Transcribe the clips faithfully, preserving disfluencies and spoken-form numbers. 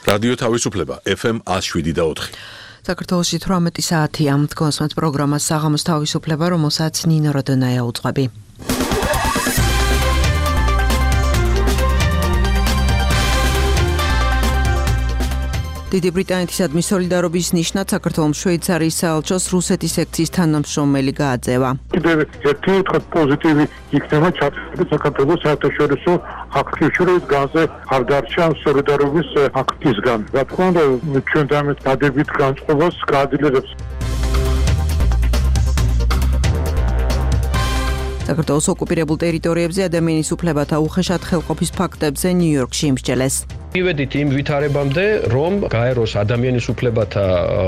რადიო თავისუფლება F M one oh seven და four. საქართველოში თვრამეტი საათია. თქვენს პროგრამას საღამოს თავისუფლება, რომელსაც ნინო როდონაია უძღვები. დიდი ბრიტანეთისადმი სოლიდარობის ნიშნად საქართველოს შვეიცარიის საელჩოს რუსეთის სექციის თანამშრომელი გააძევა. კიდევ ერთი პოზიტივი იქნება ჩატარებული საქართველოს საერთაშორისო აქტივობის გაზზე არ დარჩა სოლიდარობის აქტისგან. რა თქმა უნდა, ჩვენ დამეთ დადებით განწყობას გაადილებს. საქართველოს ოკუპირებულ ტერიტორიებზე ადამიანის უფლებათა უხეშად ხელყოფის ფაქტებზე ნიუ-იორკში იმსჯელეს. მივედით იმ ვითარებამდე, რომ გაეროს ადამიანის უფლებათა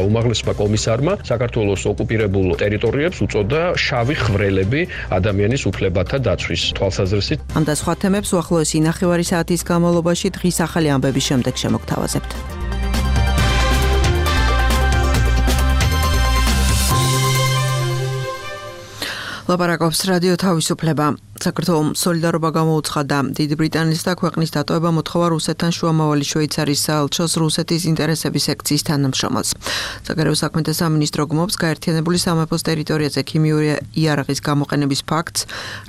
უმაღლესმა კომისარმა საქართველოს ოკუპირებულ ტერიტორიებს უწოდა შავი ხვრელები ადამიანის უფლებათა დაცვის თვალსაზრისით. ამ და სხვა თემებს უახლოესი ნახევარი საათის განმავლობაში დღის ახალი ამბების შემდეგ შემოგთავაზებთ. ლაპარაკობს რადიო თავისუფლება. საქართველოს სოლიდარობა გამოუცხადა დიდი ბრიტანეთის და ქვეყნის დატოვება მოთხოვა რუსეთთან შუამავალი შვეიცარიის საელჩოს რუსეთის ინტერესების სექციის თანამშრომელს. საგარეო საქმეთა სამინისტრო გმობს გაერთიანებული სამეფოს ტერიტორიაზე ქიმიური იარაღის გამოყენების ფაქტს,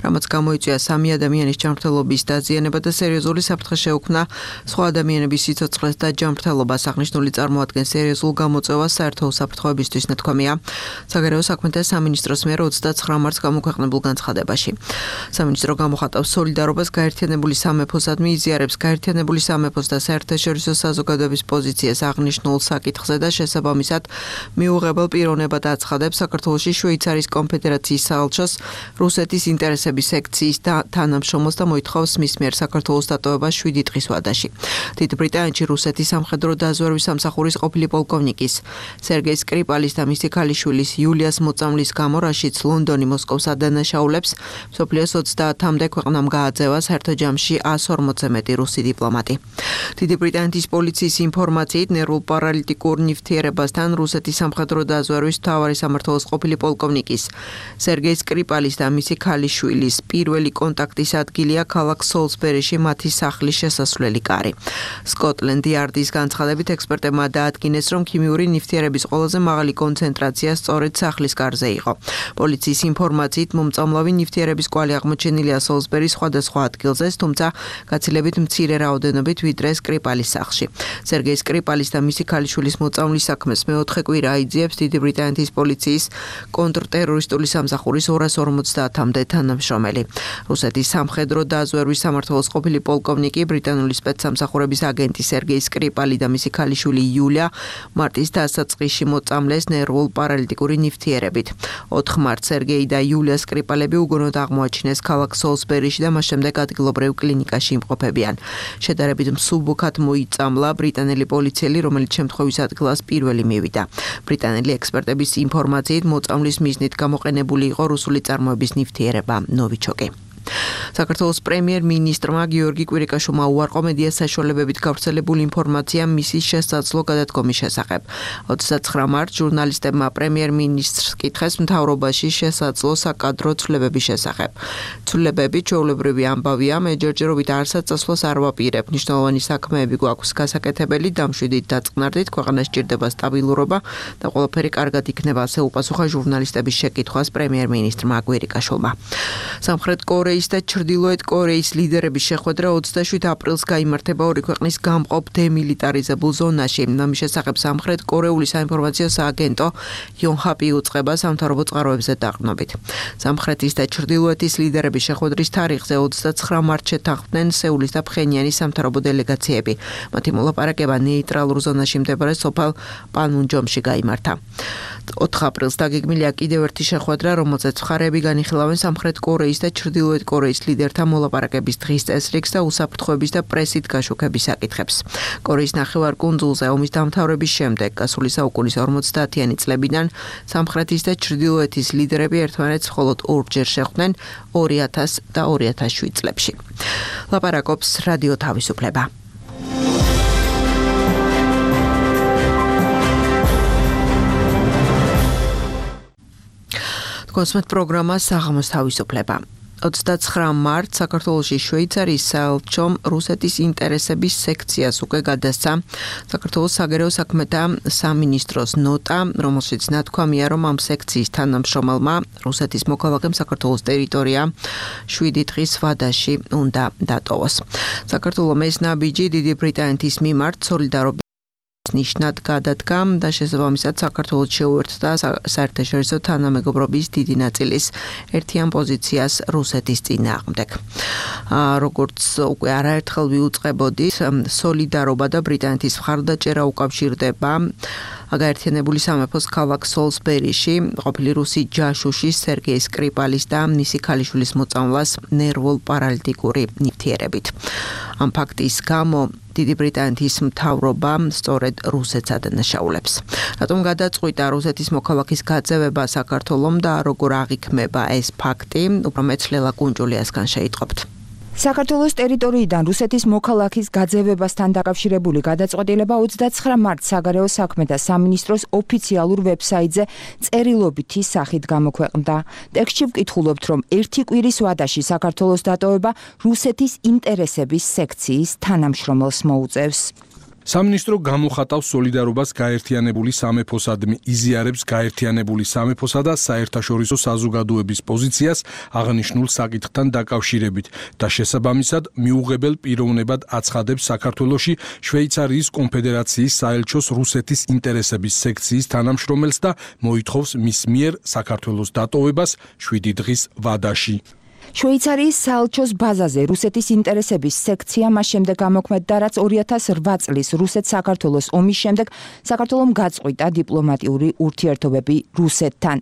რამაც გამოიწვია სამი ადამიანის ჯანმრთელობის დაზიანება და სერიოზული საფრთხე შეუქმნა სხვა ადამიანების სიცოცხლეს და ჯანმრთელობას. აღნიშნული წარმოადგენს სერიოზულ გამოწვევას საერთო უსაფრთხოებისთვის ნათქვამია საგარეო საქმეთა სამინისტროს მიერ ოცდაცხრა მარტს გამოქვეყნებულ განცხადებაში. სამინისტრო გამოხატავს სოლიდარობას გაერთიანებული სამეფოსადმი, იზიარებს გაერთიანებული სამეფოს და საერთაშორისო საზოგადოების პოზიციას აღნიშნულ საკითხზე და შესაბამისად მიუღებელ პიროვნებად აცხადებს საქართველოში შვეიცარიის კონფედერაციის საელჩოს რუსეთის ინტერესების სექციის თანამშრომელს და მოითხოვს მის მიერ საქართველოს დატოვება შვიდი დღის ვადაში. დიდ ბრიტანეთში რუსეთის სამხედრო დაზვერვის სამსახურის ყოფილი პოლკოვნიკის სერგეი სკრიპალის და მისი ქალიშვილის იულიას მოწამვლის გამო, რაშიც ლონდონი მოსკოვს ადანაშაულებს, მსოფლიოს ოცდაათამდე ქვეყნამ გააძევა საერთო ჯამში one hundred forty-ზე მეტი რუსი დიპლომატი. დიდი ბრიტანეთის პოლიციის ინფორმაციით ნერვულ პარალიტიკურ ნივთიერებასთან რუსეთის სამხედრო დაზვერვის მთავარი სამმართველოს ყოფილი პოლკოვნიკის სერგეი სკრიპალის და მისი ქალიშვილის პირველი კონტაქტის ადგილია ქალაქ სოლსბერიში მათი სახლის შესასვლელი კარი. სკოტლენდ იარდის განცხადებით ექსპერტებმა დაადგინეს, რომ ქიმიური ნივთიერების ყველაზე მაღალი კონცენტრაცია სწორედ სახლის კარზე იყო. პოლიციის ინფორმაციით მომწამლავი ნივთიერების კვალი აღმოჩენილია სოლსბერის სხვადასხვა ადგილზე, თუმცა გაცილებით მცირე რაოდენობით ვიდრე სკრიპალის სახლში. სერგეი სკრიპალის და მისი ქალიშვილის მოწამვლის საქმეს მეოთხე კვირა აიძიებს დიდი ბრიტანეთის პოლიციის კონტრტერორისტული სამსახურის ორას ორმოცდაათამდე თანამშრომელი. რუსეთის სამხედრო დაზვერვის სამმართველოს ყოფილი პოლკოვნიკი, ბრიტანული სპეცსამსახურების აგენტი სერგეი სკრიპალი და მისი ქალიშვილი იულია მარტის დასაწყისში მოწამლეს ნერვულ პარალიტიკური ნივთიერებით. ოთხ მარტს სერგეი და იულია სკრიპალები უგონოდ აღმოაჩინეს ქალაქ სოლსბერიში და მას შემდეგ ადგილობრივ კლინიკაში იმყოფებიან. შედარებით მსუბუქად მოიწამლა ბრიტანელი პოლიციელი, რომელიც შემთხვევის ადგილას პირველი მივიდა. ბრიტანელი ექსპერტების ინფორმაციით მოწამვლის მიზნით გამოყენებული იყო რუსული წარმოების ნივთიერება ნოვიჩოკი. საქართველოს პრემიერ-მინისტრმა გიორგი კვირიკაშვილმა უარყო მედია საშუალებებით გავრცელებული ინფორმაცია მისის შესაძლო გადადგომის შესახებ. ოცდაცხრა მარტს ჟურნალისტებმა პრემიერ-მინისტრს კითხეს მთავრობაში შესაძლო საკადრო ცვლილებების შესახებ. ცვლილებები ჩვეულებრივი ამბავია, მე ჯერჯერობით არსად წასვლას არ ვაპირებ. მნიშვნელოვანი საქმეები გვაქვს გასაკეთებელი, დამშვიდით დაწყნარდით, ქვეყანას სჭირდება სტაბილურობა და ყველაფერი კარგად იქნება, ასე უპასუხა ჟურნალისტების შეკითხვას პრემიერ-მინისტრმა კვირიკაშვილმა. სამხრეთ კორეის და ჩრდილოეთ კორეის ლიდერების შეხვედრა ოცდაშვიდ აპრილს გაიმართება ორი ქვეყნის გამყოფ დემილიტარიზებულ ზონაში. ამის შესახებ სამხრეთ კორეული საინფორმაციო სააგენტო იონჰაპი უწყება სამთავრობო წყაროებზე დაყრდნობით. სამხრეთის და ჩრდილოეთის ლიდერების შეხვედრის თარიღზე ოცდაცხრა მარტს შეთანხმდნენ სეულის და ფხენიანის სამთავრობო დელეგაციები. მათი მოლაპარაკება ნეიტრალურ ზონაში მდებარე სოფელ პანმუნჯომში გაიმართა. ოთხ აპრილს დაგეგმილია კიდევ ერთი შეხვედრა, რომელზეც მხარეები განიხილავენ სამხრეთ კორეის და ჩრდილოეთ კორეის ლიდერთა მოლაპარაკების დღის წესრიგს და უსაფრთხოების და პრესით გაშუქების საკითხებს. კორეის ნახევარკუნძულზე ომის დამთავრების შემდეგ გასული საუკუნის ორმოცდაათიანი წლებიდან სამხრეთის და ჩრდილოეთის ლიდერები ერთმანეთს მხოლოდ ორჯერ შეხვდნენ ორი ათას და ორი ათას შვიდ წლებში. ლაპარაკობს რადიო თავისუფლება. კონსმეთ პროგრამა საღამოს თავისუფლება. ოცდაცხრა მარტს საქართველოში შვეიცარიის საელჩომ რუსეთის ინტერესების სექციას უკვე გადასცა საქართველოს საგარეო საქმეთა სამინისტროს ნოტა, რომელშიც ნათქვამია, რომ ამ სექციის თანამშრომელმა რუსეთის მოქალაქემ საქართველოს ტერიტორია შვიდი დღის ვადაში უნდა დატოვოს. საქართველოს ეს ნაბიჯი დიდი ბრიტანეთის მიმართ სოლიდარობის ნიშნად გადადგა და შესაბამისად საქართველოს შეუერთდა საერთაშორისო თანამეგობრობის დიდი ნაწილის ერთიან პოზიციას რუსეთის წინააღმდეგ. როგორც უკვე არაერთხელ ვიუწყებოდით, სოლიდარობა და ბრიტანეთის მხარდაჭერა უკავშირდება გაერთიანებული სამეფოს ქალაქ სოლსბერიში ყოფილი რუსი ჯაშუში სერგეი სკრიპალის და მისი ქალიშვილის მოწამვლას ნერვულ-პარალიტიკური ნივთიერებით. ამ ფაქტის გამო დიდი ბრიტანეთის მთავრობა სწორედ რუსეთს ადანაშაულებს. რატომ გადაწყვიტა რუსეთის მოქალაქის გაძევება საქართველომ და როგორ აღიქმება ეს ფაქტი, უფრო მეც ლელა კუნჯულიასგან შეიტყობთ. საქართველოს ტერიტორიიდან რუსეთის მოქალაქის გაძევებასთან დაკავშირებული გადაწყვეტილება ოცდაცხრა მარტს საგარეო საქმეთა სამინისტროს ოფიციალურ ვებსაიტზე წერილობითი სახით გამოქვეყნდა. ტექსტში ვკითხულობთ, რომ ერთი კვირის ვადაში საქართველოს დატოვება რუსეთის ინტერესების სექციის თანამშრომელს მოუწევს. სამინისტრო გამოხატავს სოლიდარობას გაერთიანებული სამეფოსადმი, იზიარებს გაერთიანებული სამეფოსა და საერთაშორისო საზოგადოების პოზიციას აღნიშნულ საკითხთან დაკავშირებით და შესაბამისად მიუღებელ პიროვნებად აცხადებს საქართველოში შვეიცარიის კონფედერაციის საელჩოს რუსეთის ინტერესების სექციის თანამშრომელს და მოითხოვს მის მიერ საქართველოს დატოვებას შვიდი დღის ვადაში. შვეიცარიის საელჩოს ბაზაზე რუსეთის ინტერესების სექცია მას შემდეგ გამოქმედდა, რაც ორი ათას რვა წლის რუსეთ-საქართველოს ომის შემდეგ საქართველომ გაწყვიტა დიპლომატიური ურთიერთობები რუსეთთან.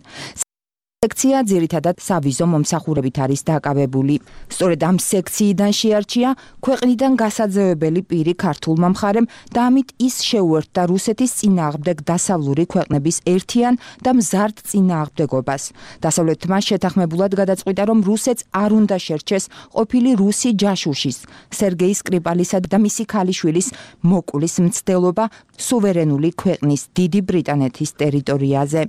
სექცია ძირითადად სავიზო მომსახურებით არის დაკავებული. სწორედ ამ სექციიდან შეარჩია ქვეყნიდან გასაძევებელი პირი ქართულმა მხარემ და ამით ის შეუერთდა რუსეთის წინააღმდეგ დასავლური ქვეყნების ერთიან და მზარდ წინააღმდეგობას. დასავლეთმა შეთანხმებულად გადაწყვიტა, რომ რუსეთს არ უნდა შერჩეს ყოფილი რუსი ჯაშუშის, სერგეი სკრიპალისა და მისი ქალიშვილის მოკვლის მცდელობა სუვერენული ქვეყნის დიდი ბრიტანეთის ტერიტორიაზე.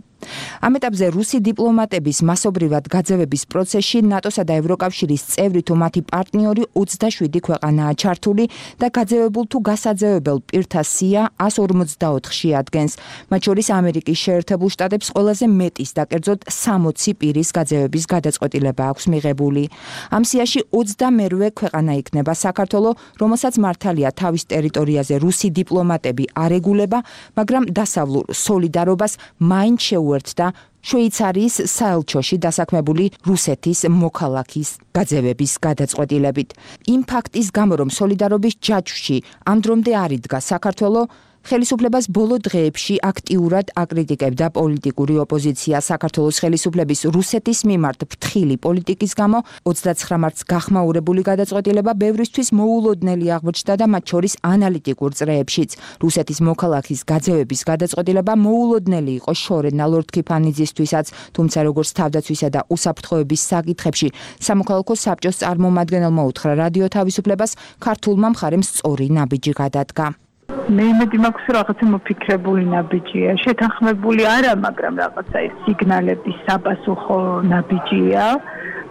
ამ ეტაპზე რუსი დიპლომატების მასობრივად გაძევების პროცესში ნატოსა და ევროკავშირის წევრი თუ მათი პარტნიორი ოცდაშვიდი ქვეყანაა ჩართული და გაძევებულ თუ გასაძევებელ პირთა სია ას ორმოცდაოთხში ადგენს. მათ შორის ამერიკის შეერთებულ შტატებს ყველაზე მეტის და კერძოდ სამოცი პირის გაძევების გადაწყვეტილება აქვს მიღებული. ამ სიაში ოცდამერვე ქვეყანა იქნება საქართველო, რომელსაც მართალია თავის ტერიტორიაზე რუსი დიპლომატები არ ეგულება, მაგრამ დასავლურ სოლიდარობას მაინც შეუერთდა შვეიცარიის საელჩოში დასაქმებული რუსეთის მოქალაქის გაძევების გადაწყვეტილებით. იმ ფაქტის გამო, რომ სოლიდარობის ჯაჭვში ამ დრომდე არ იდგა საქართველო, ხელისუფლებას ბოლო დღეებში აქტიურად აკრიტიკებდა პოლიტიკური ოპოზიცია. საქართველოს ხელისუფლების რუსეთის მიმართ ფრთხილი პოლიტიკის გამო ოცდაცხრა მარტს გახმაურებული გადაწყვეტილება ბევრისთვის მოულოდნელი აღმოჩნდა და მათ შორის ანალიტიკურ წრეებშიც. რუსეთის მოქალაქის გაძევების გადაწყვეტილება მოულოდნელი იყო შორენა ლორდ-ქიფანიძისთვისაც, თუმცა როგორც თავდაცვისა და უსაფრთხოების საკითხებში სამოქალაქო საბჭოს წარმომადგენელმა უთხრა რადიო თავისუფლებას, ქართულმა მხარემ სწორი ნაბიჯი გადადგა. მე იმედი მაქვს, რომ რაღაცა მოფიქრებული ნაბიჯია, შეთანხმებული არა, მაგრამ რაღაცა ეს სიგნალების საპასუხო ნაბიჯია,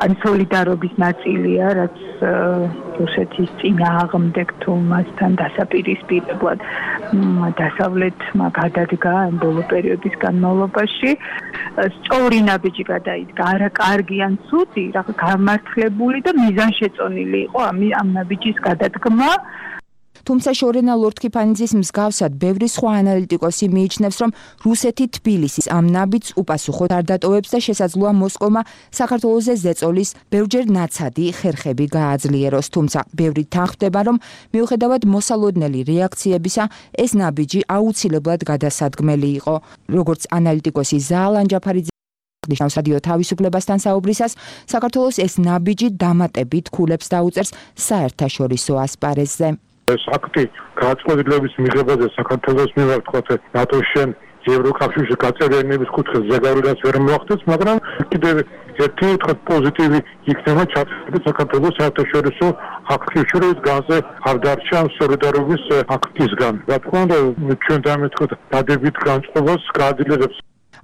ან სოლიდარობის ნაწილია, რაც რუსეთის წინააღმდეგ თუ მასთან დასაპირისპირებლად დასავლეთმა გადადგა ამ ბოლო პერიოდის განმავლობაში. სწორი ნაბიჯი გადაიდგა, არა კარგი ან ცუდი, რაღაც გამართლებული და მიზანშეწონილი იყო ამ ამ ნაბიჯის გადადგმა. თუმცა შორენა ლორდ-ქიფანიძის მსგავსად ბევრი სხვა ანალიტიკოსი მიიჩნევს, რომ რუსეთი თბილისის ამ ნაბიჯს უპასუხოდ არ დატოვებს და შესაძლოა მოსკოვმა საქართველოზე ზეწოლის ბევრჯერ ნაცადი ხერხები გააძლიეროს. თუმცა ბევრი თანხმდება, რომ მიუხედავად მოსალოდნელი რეაქციებისა, ეს ნაბიჯი აუცილებლად გადასადგმელი იყო. როგორც ანალიტიკოსი ზაალან ჯაფარიძე ნიშნავს რადიო თავისუფლებასთან საუბრისას, საქართველოს ეს ნაბიჯი დამატებით ქულებს დაუწერს საერთაშორისო ასპარეზზე. ეს აქტი გადაწყვეტილების მიღებაზე საქართველოს მიმართ ხოთე ნატოში ევროკავშირში გაწევრიანების კუთხეს ზეგავლენას ვერ მოახდენს, მაგრამ კიდევ ერთი პოზიტივი იქნება ჩატარებული საქართველოს საერთაშორისო აქტივში განზე არ დარჩა სოლიდარობის აქტისგან. რა თქმა უნდა, ჩვენ დამეთქვით დადებით განწყობას გააძლიერებს.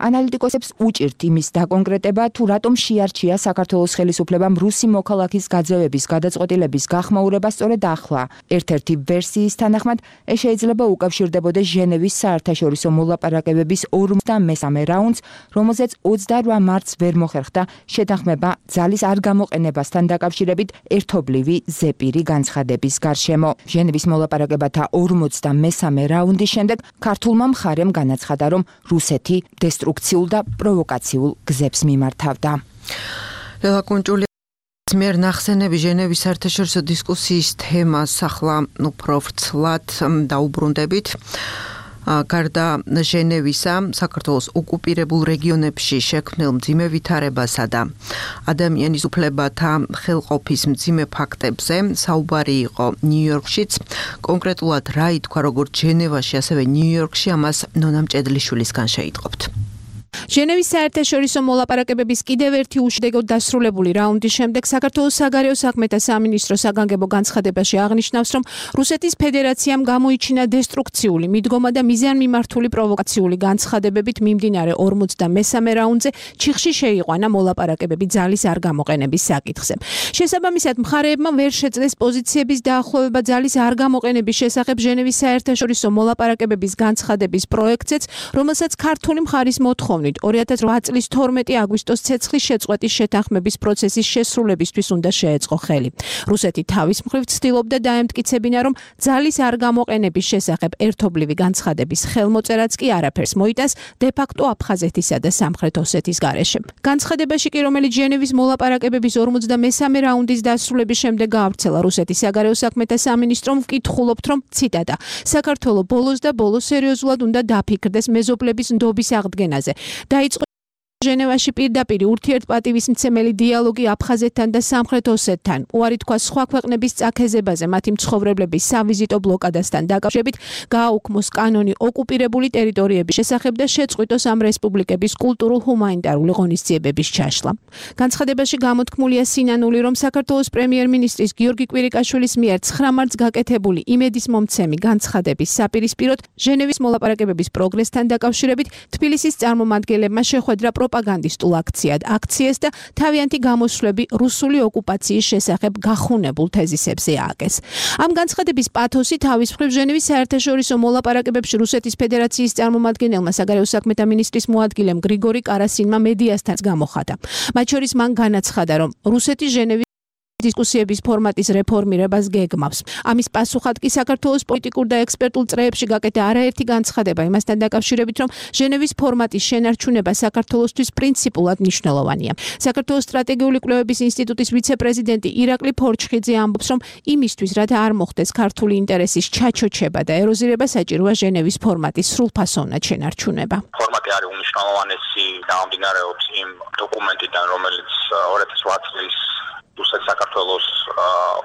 ანალიტიკოსებს უჭირთ იმის დაკონკრეტება, თუ რატომ შეარჩია საქართველოს ხელისუფლებამ რუსი მოქალაქის გაძევების გადაწყვეტილების გახმაურება სწორედ ახლა. ერთ-ერთი ვერსიის თანახმად, ეს შეიძლება უკავშირდებოდეს ჟენევის საერთაშორისო მოლაპარაკებების ორმოცდამესამე რაუნდს, რომელზეც ოცდაოთხ მარტს ვერ მოხერხდა შეთანხმება ძალის არ გამოყენებასთან დაკავშირებით ერთობლივი ზეპირი განცხადების გარშემო. ჟენევის მოლაპარაკებათა ორმოცდამესამე რაუნდის შემდეგ ქართულმა მხარემ განაცხადა, რომ რუსეთი დესტრუქციულ და პროვოკაციულ გზებს მიმართავდა. ლელა კუნჭული მიერ ნახსენები ჟენევის საერთაშორისო დისკუსიის თემას ახლა უფრო ვრცლად დაუბრუნდებით. გარდა ჟენევისა, საქართველოს ოკუპირებულ რეგიონებში შექმნილ მძიმე ვითარებასა და ადამიანის უფლებათა ხელყოფის მძიმე ფაქტებზე საუბარი იყო ნიუ-იორკშიც. კონკრეტულად რა ითქვა როგორც ჟენევაში, ასევე ნიუ-იორკში, ამას ნონა მჭედლიშვილისგან შეიტყობთ. ჟენევის საერთაშორისო მოლაპარაკებების კიდევ ერთი უშედეგოდ დასრულებული რაუნდის შემდეგ საქართველოს საგარეო საქმეთა სამინისტრო საგანგებო განცხადებაში აღნიშნავს, რომ რუსეთის ფედერაციამ გამოიჩინა დესტრუქციული, მიდგომა და მიზანმიმართული პროვოკაციული განცხადებებით მიმდინარე ორმოცდამესამე რაუნდზე ჩიხში შეიყვანა მოლაპარაკებები ძალის არ გამოყენების საკითხზე. შესაბამისად, მხარეებმა ვერ შეძლეს პოზიციების დაახლოვება ძალის არ გამოყენების შესახებ ჟენევის საერთაშორისო მოლაპარაკებების განცხადების პროექტზეც, რომელსაც ქართული მხარის მოთხოვნით ორი ათას ოთხ წლის თორმეტი აგვისტოს ცეცხლის შეწყვეტის შეთანხმების პროცესის შესრულებისთვის უნდა შეეწყო ხელი. რუსეთი თავის მხრივ ცდილობდა დაემტკიცებინა, რომ ძალის არ გამოყენების შესახებ ერთობლივი განცხადების ხელმოწერაც კი არაფერს მოიტანს დე-ფაქტო აფხაზეთისა და სამხრეთ ოსეთის გარეშე. განცხადებაში კი, რომელიც ჟენევის მოლაპარაკებების ორმოცდამესამე რაუნდის დასრულების შემდეგ გაავრცელა რუსეთის საგარეო საქმეთა სამინისტრომ, ვკითხულობთ, რომ ციტატა საქართველოს ბოლოს და ბოლოს სერიოზულად უნდა დაფიქრდეს მეზობლების ნდობის აღდგენაზე. დაიწყო ჟენევაში პირდაპირ ურთიერთპატივისმცემელი დიალოგი აფხაზეთთან და სამხრეთ ოსეთთან. უარი თქვა სხვა ქვეყნების წაქეზებაზე მათი მცხოვრებლების სავიზიტო ბლოკადასთან დაკავშირებით, გააუქმოს კანონი ოკუპირებული ტერიტორიების შესახებ და შეწყვიტოს ამ რესპუბლიკების კულტურულ-ჰუმანიტარული ღონისძიებების ჩაშლა. განცხადებაში გამოთქმულია სინანული, რომ საქართველოს პრემიერ-მინისტრის გიორგი კვირიკაშვილის მიერ ცხრა მარტს გაკეთებული იმედისმომცემი განცხადების საპირისპიროდ ჟენევის მოლაპარაკებების პროგრესთან დაკავშირებით თბილისის წარმომადგენლებმა შეხვედრა პროპაგანდისტულ აქციად აქციეს და თავიანთი გამოსვლები რუსული ოკუპაციის შესახებ გახუნებულ თეზისებზე ააგეს. ამ განცხადების პათოსი თავის მხრივ ჟენევის საერთაშორისო მოლაპარაკებებში რუსეთის ფედერაციის წარმომადგენელმა საგარეო საქმეთა მინისტრის მოადგილემ გრიგორი კარასინმა მედიასთან გამოხატა. მათ შორის მან განაცხადა, რომ რუსეთი ჟენევის დისკუსიების ფორმატის რეფორმირებას გეგმავს. ამის პასუხად კი საქართველოს პოლიტიკურ და ექსპერტულ წრეებში გაკეთა არაერთი განცხადება იმასთან დაკავშირებით, რომ ჟენევის ფორმატის შენარჩუნება საქართველოსთვის პრინციპულად მნიშვნელოვანია. საქართველოს სტრატეგიული კვლევების ინსტიტუტის ვიცე-პრეზიდენტი ირაკლი ფორჩხიძე ამბობს, რომ იმისთვის, რათა არ მოხდეს ქართული ინტერესის ჩაჩოჩება და ეროზირება, საჭიროა ჟენევის ფორმატის სრულფასოვნად შენარჩუნება. ფორმატი არის უმნიშვნელოვანესი გამომდინარეობს იმ დოკუმენტიდან, რომელიც ორი ათას ოთხ წლის რუსეთ საქართველოს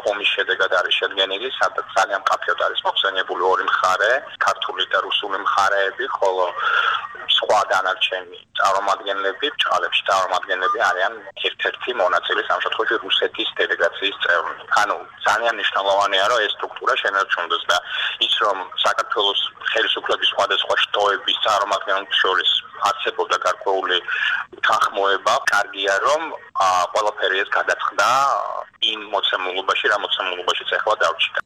ომის შედეგად არის შედგენილი, სადაც ძალიან მკაფიოდ არის მოხსენიებული ორი მხარე, ქართული და რუსული მხარეები, ხოლო სხვა დანარჩენი წარმომადგენლები, ბრჭყალებში წარმომადგენლები არიან ერთ-ერთი მონაწილე ამ შემთხვევაში რუსეთის დელეგაციის წევრი. ანუ ძალიან მნიშვნელოვანია, რომ ეს სტრუქტურა შენარჩუნდეს და ის, რომ საქართველოს ხელისუფლების სხვადასხვა შტოების წარმომადგენლებს შორის არსებობდა გარკვეული თანხმოება, კარგია, რომ ყველაფერი ეს გადაწყდა იმ მოცემულობაში, რა მოცემულობაშიც ახლა დავრჩიდა.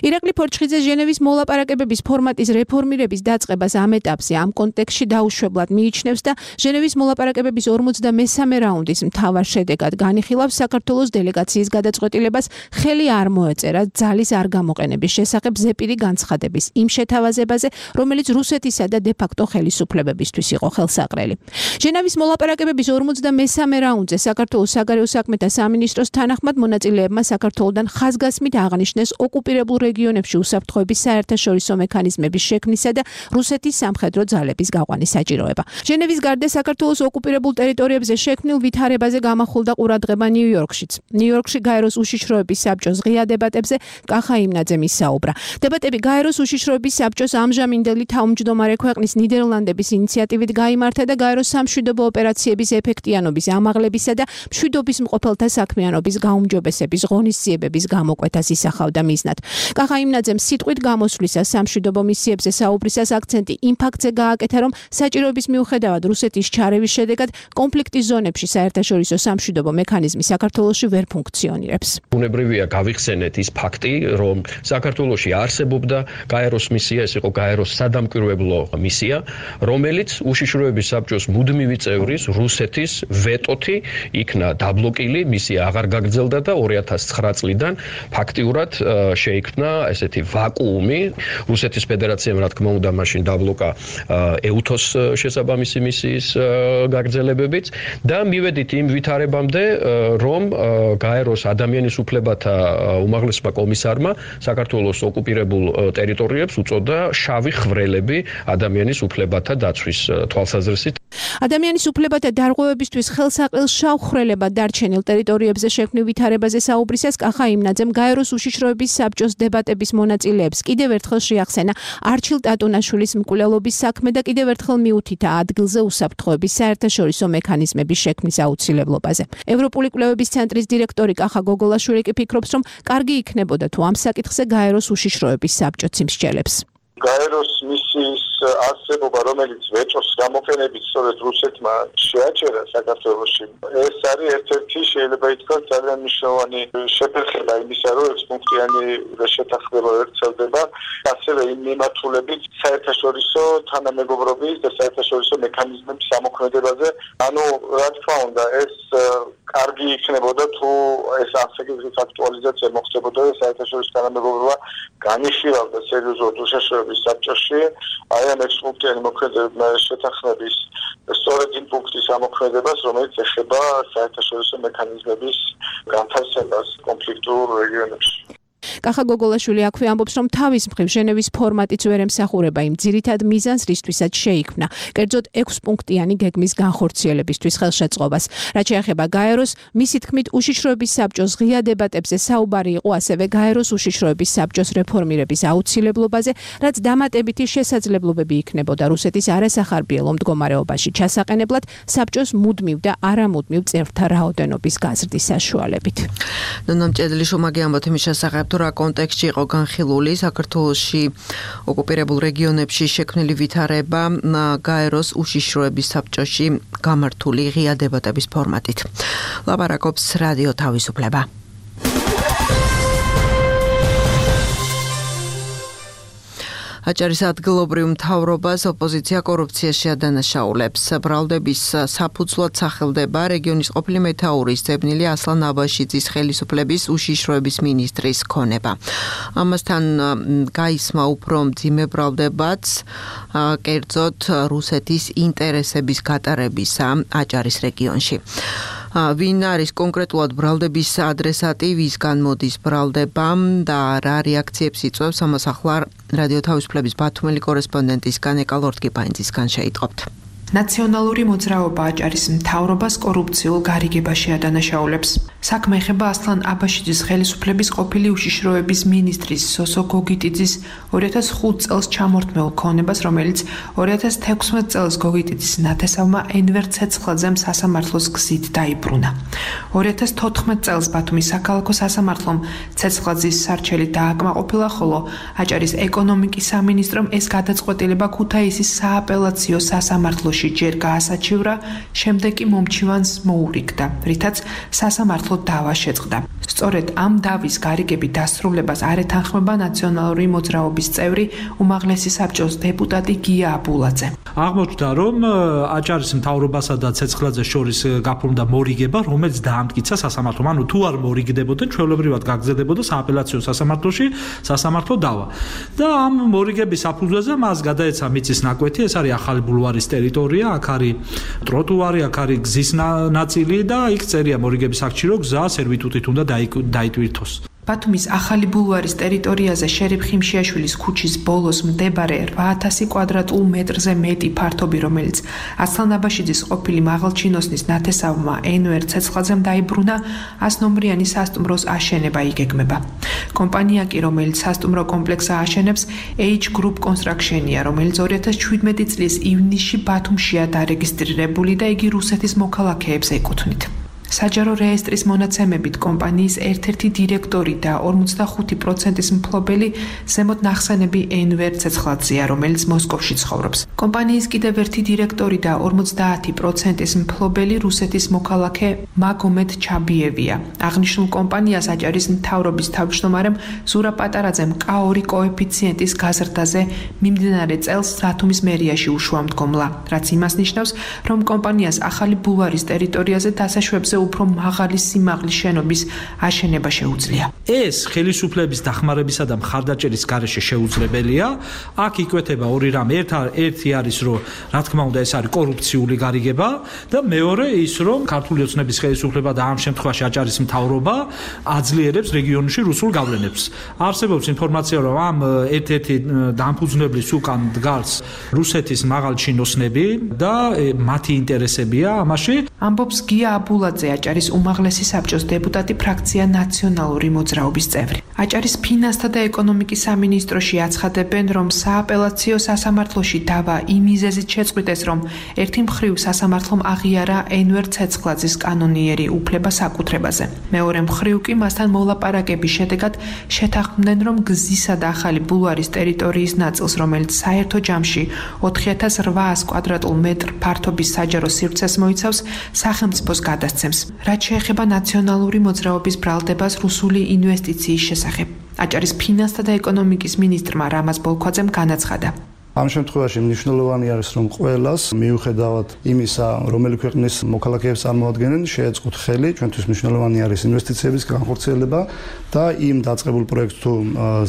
ირაკლი ფორჩხიძე ჟენევის მოლაპარაკებების ფორმატის რეფორმირების დაწყებას ამ ეტაპზე ამ კონტექსტში დაუშვებლად მიიჩნევს და ჟენევის მოლაპარაკებების ორმოცდამესამე რაუნდის მთავარ შედეგად განიხილავს საქართველოს დელეგაციის გადაწყვეტილებას ხელი არ მოეწერა ძალის არ გამოყენების შესახებ ზეპირი განცხადების იმ შეთავაზებაზე, რომელიც რუსეთისა და დე-ფაქტო ხელისუფლებებისთვის იყო ხელსაყრელი. ჟენევის მოლაპარაკებების ორმოცდამესამე რაუნდზე საქართველოს საგარეო საქმეთა სამინისტროს თანახმად მონაწილეებმა საქართველოდან ხაზგასმით აღნიშნეს ოკუპირებულ რეგიონებში უსაფრთხოების საერთაშორისო მექანიზმების შექმნისა და რუსეთის სამხედრო ძალების გაყვანის საჭიროება. ჟენევის გარდა საქართველოს ოკუპირებულ ტერიტორიებზე შექმნილ ვითარებაზე გამახვილდა ყურადღება ნიუ-იორკშიც. ნიუ-იორკში გაეროს უშიშროების საბჭოს ღია დებატებზე კახა იმნაძემ ისაუბრა. დებატები გაეროს უშიშროების საბჭოს ამჟამინდელი თავმჯდომარე ქვეყნის ნიდერლანდების ინიციატივით გაიმართა და გაეროს სამშვიდობო ოპერაციების ეფექტიანობის, ამაღლებისა და მშვიდობის მყოფელთა საქმიანობის გაუმჯობესების ღონისძიებების გამოკვეთას ისახავდა მიზნად. კახაიმნაძემ სიტყვით გამოსვლისას სამშვიდობო მისიებზე საუბრისას აქცენტი იმ ფაქტზე გააკეთა, რომ საჭიროების მიუხედავად რუსეთის ჩარევის შედეგად კონფლიქტის ზონებში საერთაშორისო სამშვიდობო მექანიზმი საქართველოში ვერ ფუნქციონირებს. ბუნებრივია გავიხსენეთ ის ფაქტი, რომ საქართველოში არსებობდა გაეროს მისია, ეს იყო გაეროს სადამკვირვებლო მისია, რომელიც უშიშროების საბჭოს მუდმივი წევრის რუსეთის ვეტოთი იქნა დაბლოკილი, მისია აღარ გაგრძელდა და ორი ათას ცხრა წლიდან ფაქტიურად შეიქმნა ესეთი ვაკუუმი. რუსეთის ფედერაციამ რა თქმა უნდა მაშინ დაბლოკა ეუთოს შესაბამისი მისიის გაგრძელებებიც და მივედით იმ ვითარებამდე, რომ გაეროს ადამიანის უფლებათა უმაღლესმა კომისარმა საქართველოს ოკუპირებულ ტერიტორიებს უწოდა შავი ხვრელები ადამიანის უფლებათა დაცვის თვალსაზრისით. ადამიანის უფლებათა დარღვევებისთვის ხელსაყრელ შავ ხვრელებად დარჩენილ ტერიტორიებზე შექმნილ ვითარებაზე საუბრისას კახაიმნაძემ გაეროს უშიშროების საბჭოს დებატების მონაწილეებს კიდევ ერთხელ შეახსენა არჩილ ტატუნაშვილის მკვლელობის საქმე და კიდევ ერთხელ მიუთითა ადგილზე უსაფრთხოების საერთაშორისო მექანიზმების შექმნის აუცილებლობაზე. ევროპული კვლევების ცენტრის დირექტორი კახა გოგოლაშვილი კი ფიქრობს, რომ კარგი იქნებოდა თუ ამ საკითხზე გაეროს უშიშროების საბჭოც იმსჯელებს. გაეროს მისიის არსებობა, რომელიც ვეტოს გამოყენებით სწორედ რუსეთმა შეაჩერა საქართველოში, ეს არის ერთ-ერთი შეიძლება ითქვას ძალიან მნიშვნელოვანი შეფერხება იმისა, რომ ექვსპუნქტიანი შეთანხმება ვრცელდება, ასევე იმ მიმართულებით საერთაშორისო თანამეგობრობის და საერთაშორისო მექანიზმების ამოქმედებაზე. ანუ რა თქმა უნდა, ეს კარგი იქნებოდა თუ ეს ასაკის აქტუალიზაცია მოხდებოდა და საერთაშორისო თანამეგობრობა განიხილავდა სერიოზულად უშიშროების საბჭოში აი ამ ექვსპუნქტიანი მოქმედებების შეთანხმების სწორედ იმ პუნქტის ამოქმედებას, რომელიც ეხება საერთაშორისო მექანიზმების განთავსებას კონფლიქტურ რეგიონებში. კახა გოგოლაშვილი აქვე ამბობს, რომ თავის მხრივ ჟენევის ფორმატიც ვერ ემსახურება იმ ძირითად მიზანს, რისთვისაც შეიქმნა, კერძოდ ექვსპუნქტიანი გეგმის განხორციელებისთვის ხელშეწყობას. რაც შეეხება გაეროს, მისი თქმით, უშიშროების საბჭოს ღია დებატებზე საუბარი იყო ასევე გაეროს უშიშროების საბჭოს რეფორმირების აუცილებლობაზე, რაც დამატებითი შესაძლებლობები იქნებოდა რუსეთის არასახარბიელო მდგომარეობაში ჩასაყენებლად საბჭოს მუდმივ და არამუდმივ წევრთა რაოდენობის გაზრდის საშუალებით. ნონა მჭედლიშვილი ამბობთ იმის შესახებ, რა კონტექსტში იყო განხილული საქართველოში ოკუპირებულ რეგიონებში შექმნილი ვითარება გაეროს უშიშროების საბჭოში გამართული ღია დებატების ფორმატით. ლაპარაკობს რადიო თავისუფლება. აჭარის ადგილობრივ მთავრობას ოპოზიცია კორუფციაში ადანაშაულებს. ბრალდების საფუძვლად სახელდება რეგიონის ყოფილი მეთაურის ძებნილი ასლან აბაშიძის ხელისუფლების უშიშროების მინისტრის ქონება. ამასთან გაისმა უფრო მძიმე ბრალდებაც კერძოდ რუსეთის ინტერესების გატარებისა აჭარის რეგიონში. ვინ არის კონკრეტულად ბრალდების ადრესატი, ვისგან მოდის ბრალდება და რა რეაქციებს იწვევს, ამას ახლა რადიო თავისუფლების ბათუმელი კორესპონდენტისგან ეკალორტკიპაინძისგან შეიტყობთ. ნაციონალური მოძრაობა აჭარის მთავრობას კორუფციულ გარიგებაში ადანაშაულებს. საქმე ეხება ასლან აბაშიძის ხელისუფლების ყოფილი უშიშროების მინისტრის სოსო გოგიტიძის ორი ათას ხუთ წელს ჩამორთმეულ ქონებას, რომელიც ორი ათას თექვსმეტ წელს გოგიტიძის ნათესავმა ენვერ ცეცხლაძემ სასამართლოს გზით დაიბრუნა. ორი ათას თოთხმეტ წელს ბათუმის საქალაქო სასამართლომ ცეცხლაძის სარჩელი დააკმაყოფილა, ხოლო აჭარის ეკონომიკის სამინისტრომ ეს გადაწყვეტილება ქუთაისის სააპელაციო სასამართლოში ჯერ გაასაჩივრა, შემდეგ კი მომჩივანს მოურიგდა, რითაც სასამართლო დავა შეწყდა. სწორედ ამ დავის გარიგების დასრულებას არ ეთანხმება ნაციონალური მოძრაობის წევრი უმაღლესი საბჭოს დეპუტატი გია აბულაძე. აღმოჩნდა, რომ აჭარის მთავრობასა და ცეცხლაძეს შორის გაფორმდა მორიგება, რომელიც დაამტკიცა სასამართლომ. ანუ თუ არ მორიგდებოდა, ჩვეულებრივად გაგრძელებოდა სააპელაციო სასამართლოში სასამართლო დავა. და ამ მორიგების საფუძველზე მას გადაეცა მიწის ნაკვეთი, ეს არის ახალი ბულვარის ტერიტორია, აქ არის ტროტუარი, აქ არის გზის ნაწილი და იქ წერია მორიგების აქტში, რომ გზა სერვიტუტით უნდა დაიტვირთოს. ბათუმის ახალი ბულვარის ტერიტორიაზე შერიფ ხიმშიაშვილის ქუჩის ბოლოს მეორე რვა ათასი კვადრატულ მეტრზე მეტი ფართობი, რომელიც ასლან აბაშიძის ყოფილი მაღალჩინოსნის ნათესავმა ენვერ ცეცხლაძემ დაიბრუნა, ას ნომრიანი სასტუმროს აშენება იგეგმება. კომპანია კი, რომელიც სასტუმრო კომპლექსს ააშენებს, H Group Construction-ია, რომელიც ორი ათას შვიდმეტი წლის ივნისში ბათუმშია დარეგისტრირებული და იგი რუსეთის მოქალაქეებს ეკუთვნით. საჯარო რეესტრის მონაცემებით კომპანიის ერთ-ერთი დირექტორი და ორმოცდახუთი პროცენტის მფლობელი ზემოთ ნახსენები ენვერ ცეცხლაძეა, რომელიც მოსკოვში ცხოვრობს. კომპანიის კიდევ ერთი დირექტორი და ორმოცდაათი პროცენტის მფლობელი რუსეთის მოქალაქე მაგომედ ჩაბიევია. აღნიშნულ კომპანიას აჭარის მთავრობის თავმჯდომარემ ზურა პატარაძემ კა ორი კოეფიციენტის გაზრდაზე მიმდინარე წელს ბათუმის მერიაში უშვა მდგომლა, რაც იმას ნიშნავს, რომ კომპანიას ახალი ბულვარის ტერიტორიაზე დასაშვებზე უფრო მაღალი სიმაღლის შენობის აშენება შეუძლია. ეს ხელისუფლების დახმარებისა და მხარდაჭერის გარეშე შეუძლებელია. აქ იკვეთება ორი რამ. ერთი არის, რომ რა თქმა უნდა ეს არის კორუფციული გარიგება და მეორე ის, რომ ქართული ოცნების ხელისუფლება და ამ შემთხვევაში აჭარის მთავრობა აძლიერებს რეგიონში რუსულ გავლენებს. არსებობს ინფორმაცია, რომ ამ ერთ-ერთი დამფუძნებლის უკან დგას რუსეთის მაღალჩინოსნები და მათი ინტერესებია ამაში. ამბობს გია აბულაძე, აჭარის უმაღლესი საბჭოს დეპუტატი, ფრაქცია ნაციონალური მოძრაობის წევრი. აჭარის ფინანსთა და ეკონომიკის სამინისტროში აცხადებენ, რომ სააპელაციო სასამართლოში დავა იმ მიზეზით შეწყვიტეს, რომ ერთი მხრივ სასამართლომ აღიარა ენვერ ცეცხლაძის კანონიერი უფლება საკუთრებაზე. მეორე მხრივ კი მასთან მოლაპარაკების შედეგად შეთანხმდნენ, რომ გზისა და ახალი ბულვარის ტერიტორიის ნაწილს, რომელიც საერთო ჯამში ოთხი ათას რვაას კვადრატულ მეტრ ფართობის საჯარო სივრცეს მოიცავს, სახელმწიფოს გადასცემს. რაც შეეხება ნაციონალური მოძრაობის ბრალდებას რუსული ინვესტიციის შესახებ. აჭარის ფინანსთა და ეკონომიკის მინისტრმა რამაზ ბოლქვაძემ განაცხადა. ამ შემთხვევაში მნიშვნელოვანი არის, რომ ყველას მიუხედავად იმისა, რომელი ქვეყნის მოქალაქეებს წარმოადგენენ, შეეწყოთ ხელი, ჩვენთვის მნიშვნელოვანი არის ინვესტიციების განხორციელება და იმ დაწყებულ პროექტს თუ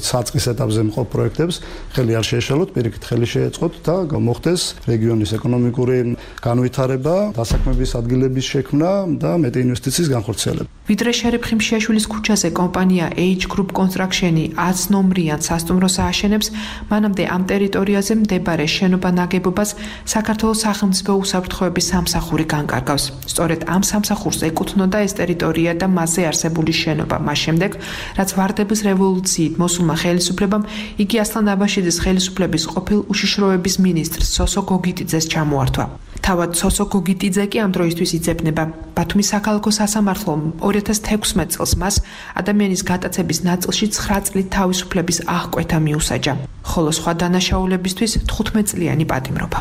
საწყის ეტაპზე მყოფ პროექტებს ხელი არ შეეშალოთ, პირიქით ხელი შეეწყოთ და მოხდეს რეგიონის ეკონომიკური განვითარება, დასაქმების ადგილების შექმნა და მეტი ინვესტიციის განხორციელება. ვიდრე შერიფ ხიმშიაშვილის ქუჩაზე კომპანია H Group Construction-ი ათს ნომრიან სასტუმროს ააშენებს, მანამდე ამ ტერიტორიაზე მდებარე შენობა ნაგებობას საქართველოს სახელმწიფო უსაფრთხოების სამსახური განკარგავს. სწორედ ამ სამსახურს ეკუთვნოდა ეს ტერიტორია და მასზე არსებული შენობა. მას შემდეგ, რაც ვარდების რევოლუციით მოსულმა ხელისუფლებამ იგი ასლან აბაშიძის ხელისუფლების ყოფილ უშიშროების მინისტრს სოსო გოგიტიძეს ჩამოართვა. თავად სოსო გოგიტიძე კი ამ დროისთვის იძებნება. ბათუმის საქალაქო სასამართლომ ორი ათას თექვსმეტ წელს მას ადამიანის გატაცების ნაწილში ცხრა წლით თავისუფლების აღკვეთა მიუსაჯა, ხოლო სხვა დანაშაულებისთვის თხუთმეტ წლიანი პატიმრობა.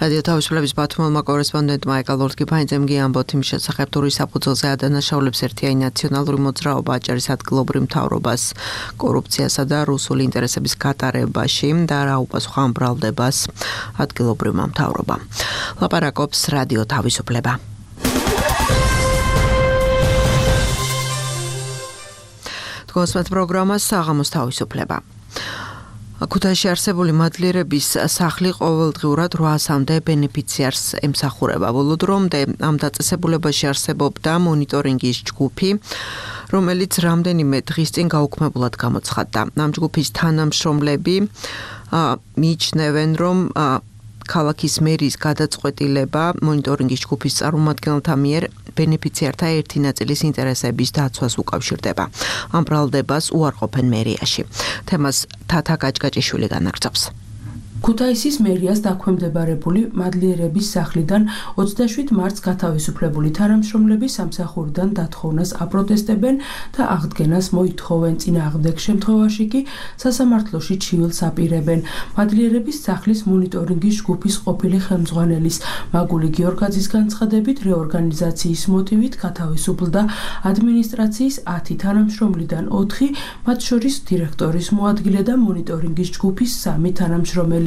რადიო თავისუფლების ბათუმელმა კორესპონდენტმა ეკალორტკიფანიძემ გიამბოთ იმ შესახებ, თუ რის საფუძველზე ადანაშაულებს ერთიანი ნაციონალური მოძრაობა აჭარის ადგილობრივ მთავრობას კორუფციასა და რუსული ინტერესების გატარებაში და რა უპასუხა ამ ბრალდებას ადგილობრივმა მთავრობამ. ლაპარაკობს რადიო თავისუფლება. თქვენს პროგრამას საღამოს თავისუფლება. ქუთაისში არსებული მადლიერების სახლი ყოველდღიურად რვაასამდე ბენეფიციარს ემსახურება. ბოლო დრომდე ამ დაწესებულებაში არსებობდა მონიტორინგის ჯგუფი, რომელიც რამდენიმე დღის წინ გაუქმებულად გამოცხადდა. ამ ჯგუფის თანამშრომლები მიიჩნევენ, რომ ქალაქის მერის გადაწყვეტილება მონიტორინგის ჯგუფის წარმომადგენელთა მიერ ბენეფიციართა ერთი ნაწილის ინტერესების დაცვას უკავშირდება. ამ ბრალდებას უარყოფენ მერიაში. თემას თათა გაჭგაჭიშვილი განაგრძობს. ქუთაისის მერიას დაქვემდებარებული მადლიერების სახლიდან ოცდაშვიდ მარტს გათავისუფლებული თანამშრომლები სამსახურიდან დათხოვნას აპროტესტებენ და აღდგენას მოითხოვენ. წინააღმდეგ შემთხვევაში კი სასამართლოში ჩივილს აპირებენ. მადლიერების სახლის მონიტორინგის ჯგუფის ყოფილი ხელმძღვანელის მაგული გიორგაძის განცხადებით, რეორგანიზაციის მოტივით გათავისუფლდა ადმინისტრაციის ათი თანამშრომლიდან ოთხი, მათ შორის დირექტორის მოადგილე და მონიტორინგის ჯგუფის სამი თანამშრომელი.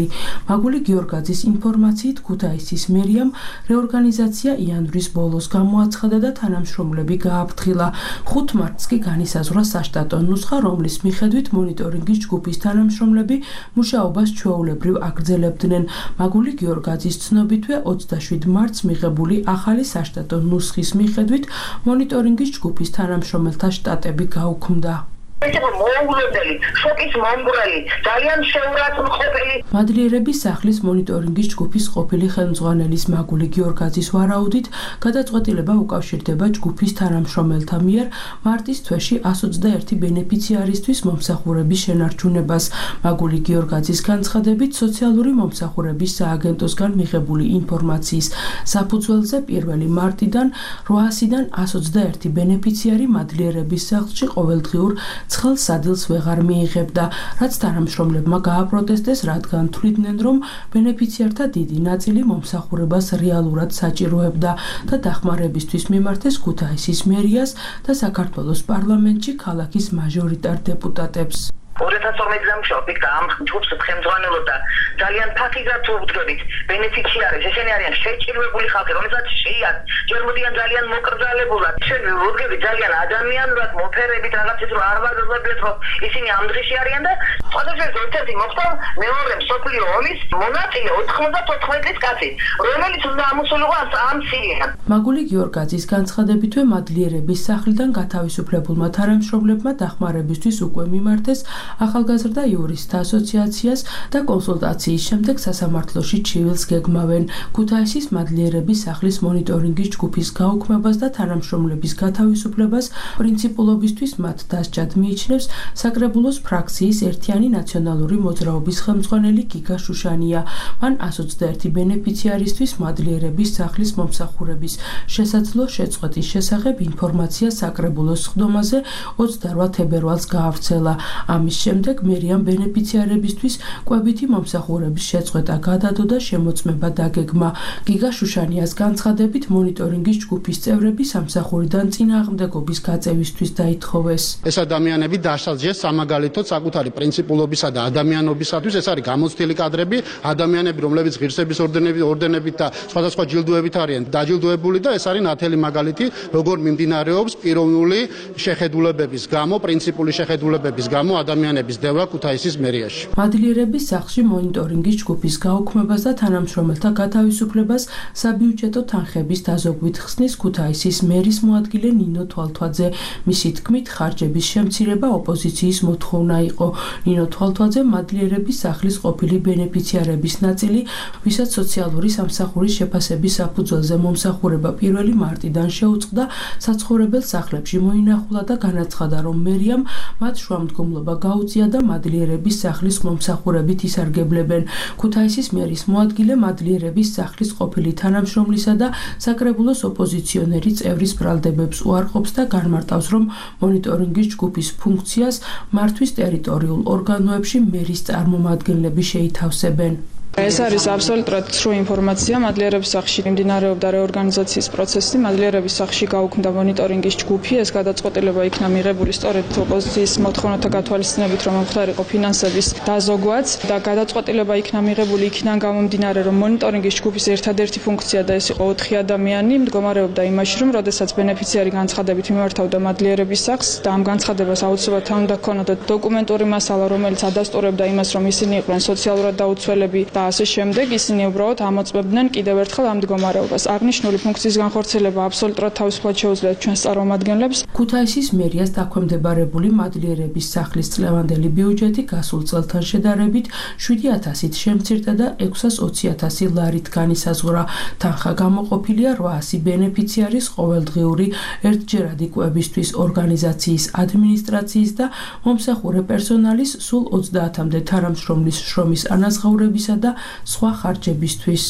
მაგული გიორგაძის ინფორმაციით ქუთაისის მერიამ რეორგანიზაცია იანვრის ბოლოს გამოაცხადა და თანამშრომლები გააფრთხილა. ხუთ მარტს კი განისაზღვრა საშტატო ნუსხა, რომლის მიხედვით მონიტორინგის ჯგუფის თანამშრომლები მუშაობას ჩვეულებრივ აგრძელებდნენ. მაგული გიორგაძის ცნობითვე ოცდაშვიდ მარტს მიღებული ახალი საშტატო ნუსხის მიხედვით მონიტორინგის ჯგუფის თანამშრომელთა შტატები გაუქმდა. ეს იყო მოულოდნელი, შოკის მომგვრელი, ძალიან შეურაცხმყოფელი. მადლიერების სახლის მონიტორინგის ჯგუფის ყოფილი ხელმძღვანელის მაგული გიორგაძის ვარაუდით, გადაწყვეტილება უკავშირდება ჯგუფის თანამშრომელთა მიერ მარტის თვეში εκατს ოცდაერთი ბენეფიციარისთვის მომსახურების შენარჩუნებას. მაგული გიორგაძის განცხადებით, სოციალური მომსახურების სააგენტოსგან მიღებული ინფორმაციის საფუძველზე პირველი მარტიდან რვაასიდან εκατს ოცდაერთი ბენეფიციარი მადლიერების სახლში ყოველდღიურ ცხელ სადილს ვეღარ მიიღებდა, რაც თანამშრომლებმა გააპროტესტეს, რადგან თვლიდნენ, რომ ბენეფიციართა დიდი ნაწილი მომსახურებას რეალურად საჭიროებდა და დახმარებისთვის მიმართეს ქუთაისის მერიას და საქართველოს პარლამენტში ქალაქის მაჟორიტარ დეპუტატებს. ორი ათას ორმოცი წელს ვშობ და ამ ჯგუფს ხელმძღვანელობდა ძალიან ფაქიზად ვუდგებით ბენეფიციარებს, ესენი არიან შეჭირვებული ხალხი, რომელსაც შეიათ ჯერ მოდიან ძალიან მოკრძალებულად, ჩვენ ვუდგებით ძალიან ადამიანურად მოფერებით რაღაცის რომ არ ვაგრძელებთ, რომ ისინი ამ დღეში არიან და სხვადასხვა ერთ-ერთი მოხდა მეორე მსოფლიო ომის მონაწილე ოთხმოცდათოთხმეტი წლის კაცი, რომელიც უნდა ამოსულიყო ამ სირიიდან. მაგული გიორგაძის განცხადებითვე მადლიერების სახლიდან გათავისუფლებულმა თანამშრომლებმა დახმარებისთვის უკვე მიმართეს ახალგაზრდა იურისტთა ასოციაციას და კონსულტაციის შემდეგ სასამართლოში ჩივილს გეგმავენ. ქუთაისის მადლიერების სახლის მონიტორინგის ჯგუფის გაუქმებას და თანამშრომლების გათავისუფლებას პრინციპულობისთვის მათ დასჯად მიიჩნევს საკრებულოს ფრაქციის ერთიანი ნაციონალური მოძრაობის ხელმძღვანელი გიგა შუშანია. მან εκατს ოცდაერთი ბენეფიციარისთვის მადლიერების სახლის მომსახურების შესაძლო შეწყვეტის შესახებ ინფორმაცია საკრებულოს სხდომაზე ოცდარვა თებერვალს გაავრცელა. ამის შემდეგ მერიამ ბენეფიციარებისთვის კვებითი მომსახურების შეწყვეტა გადადო და შემოწმება დაგეგმა. გიგა შუშანიას განცხადებით, მონიტორინგის ჯგუფის წევრები სამსახურიდან წინააღმდეგობის გაწევისთვის დაითხოვეს. ეს ადამიანები დასაჯეს სამაგალითოდ საკუთარი პრინციპულობისა და ადამიანობისათვის. ეს არის გამოცდილი კადრები, ადამიანები, რომლებიც ღირსების ორდენებით, ორდენებით და სხვადასხვა ჯილდოებით არიან დაჯილდოებული და ეს არის ნათელი მაგალითი, როგორ მიმდინარეობს პიროვნული შეხედულებების გამო, პრინციპული შეხედულებების გამო ადამიანების დევლა ქუთაისის მერიაში. მადლიერების სახლში მონიტორინგის ჯგუფის გაუქმებას და თანამშრომელთა გათავისუფლებას საბიუჯეტო თანხების დაზოგვით ხსნის ქუთაისის მერის მოადგილე ნინო თვალთვაძე. მისი თქმით, ხარჯების შემცირება ოპოზიციის მოთხოვნა იყო. ნინო თვალთვაძე მადლიერების სახლის ყოფილი ბენეფიციარების ნაწილი, ვისაც სოციალური სამსახურის შეფასების საფუძველზე მომსახურება პირველი მარტიდან შეუწყდა, საცხოვრებელ სახლებში მოინახულა და განაცხადა, რომ მერიამ მათ შუამდგომლობა გაუწია და მადლიერების სახლის მომსახურებით ისარგებლებენ. ქუთაისის მერის მოადგილე მადლიერების სახლის ყოფილი თანამშრომლისა და საკრებულოს ოპოზიციონერი წევრის ბრალდებებს უარყოფს და განმარტავს, რომ მონიტორინგის ჯგუფის ფუნქციას მართვის ტერიტორიულ ორგანოებში მერის წარმომადგენლები შეითავსებენ. ეს არის აბსოლუტურად სრულ ინფორმაცია. მადლიერების სახლში მიმდინარეობდა რეორგანიზაციის პროცესი. მადლიერების სახლში გაუქმდა მონიტორინგის ჯგუფი. ეს გადაწყვეტილება იქნა მიღებული სწორედ ოპოზიციის მოთხოვნათა გათვალისწინებით, რომ მომხდარიყო ფინანსების დაზოგვაც და გადაწყვეტილება იქნა მიღებული იქიდან გამომდინარე, რომ მონიტორინგის ჯგუფის ერთადერთი ფუნქცია და ეს იყო ოთხი ადამიანი მდგომარეობდა იმაში, რომ როდესაც ბენეფიციარი განცხადებით მიმართავდა მადლიერების სახლს და ამ განცხადებას აუცილებლად უნდა ჰქონოდა დოკუმენტური მასალა, რომელიც ადასტურებდა იმას, რომ ისინი იყვნენ სოციალურად დაუცველები და ასე შემდეგ, ისინი უბრალოდ ამოწმებდნენ კიდევ ერთხელ ამ მდგომარეობას. აღნიშნული ფუნქციის განხორციელება აბსოლუტურად თავისუფლად შეუძლიათ ჩვენს წარმომადგენლებს. ქუთაისის მერიას დაქვემდებარებული მადლიერების სახლის წლევანდელი ბიუჯეტი გასულ წელთან შედარებით შვიდი ათასით შემცირდა და ექვსას ოცი ათასი ლარით განისაზღვრა. თანხა გამოყოფილია რვაასი ბენეფიციარის ყოველდღიური ერთჯერადი კვებისთვის, ორგანიზაციის ადმინისტრაციის და მომსახურე პერსონალის სულ ოცდაათამდე თანამშრომლის შრომის ანაზღაურებისა და სხვა ხარჯებისთვის.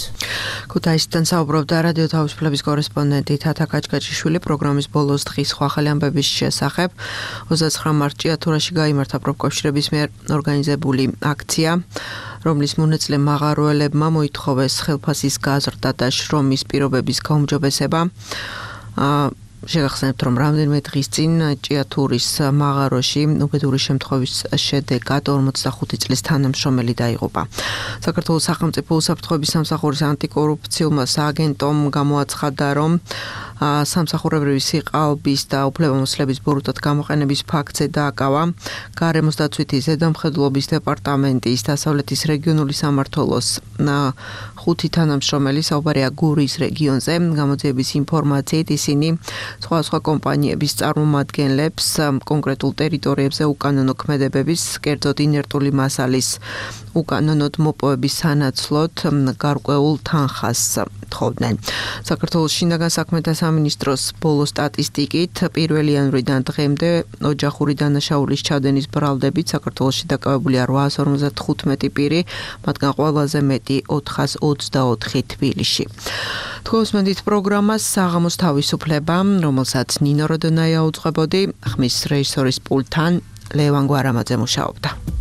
ქუთაისიდან საუბრობდა რადიო თავისუფლების კორესპონდენტი თათა კაჭკაჭიშვილი. პროგრამის ბოლოს დღის სხვა ხელი ამბების შესახებ ოცდაცხრა მარტში ათურაში გაიმართა პროფკავშირების მიერ ორგანიზებული აქცია, რომლის მონაწილე მაღაროელებმა მოითხოვეს ხელფასის გაზრდა და შრომის პირობების გაუმჯობესება. შეგახსენებთ, რომ რამდენიმე დღის წინ ჭიათურის მაღაროში უბედური შემთხვევის შედეგად ორმოცდახუთი წლის თანამშრომელი დაიღუპა. საქართველოს სახელმწიფო უსაფრთხოების სამსახურის ანტიკორუფციულმა სააგენტომ გამოაცხადა, რომ სამსახურებრივი სიყალბის და უფლებამოსილების ბოროტად გამოყენების ფაქტზე დააკავა გარემოს დაცვითი ზედამხედველობის დეპარტამენტის დასავლეთის რეგიონული სამმართველოს ხუთი თანამშრომელი, საუბარია გურის რეგიონზე. გამოძიების ინფორმაციით ისინი სხვადასხვა კომპანიების წარმომადგენლებს კონკრეტულ ტერიტორიებზე უკანონო ქმედებების, კერძოდ ინერტული მასალის უკანონოდ მოპოვების სანაცვლოდ გარკვეულ თანხას თხოვდნენ. საქართველოს შინაგან საქმეთა სამინისტროს ბოლო სტატისტიკით პირველი იანვრიდან დღემდე ოჯახური დანაშაულის ჩადენის ბრალდებით საქართველოში დაკავებულია რვაას ორმოცდახუთმეტი პირი, მათგან ყველაზე მეტი ოთხას ოცდაოთხი თბილისში. თქვენს მენდით პროგრამას საღამოს თავისუფლება, რომელსაც ნინო როდონაია უძღვებოდი, ხმის რეჟისორის პულტთან ლევან გვარამაძე მუშაობდა.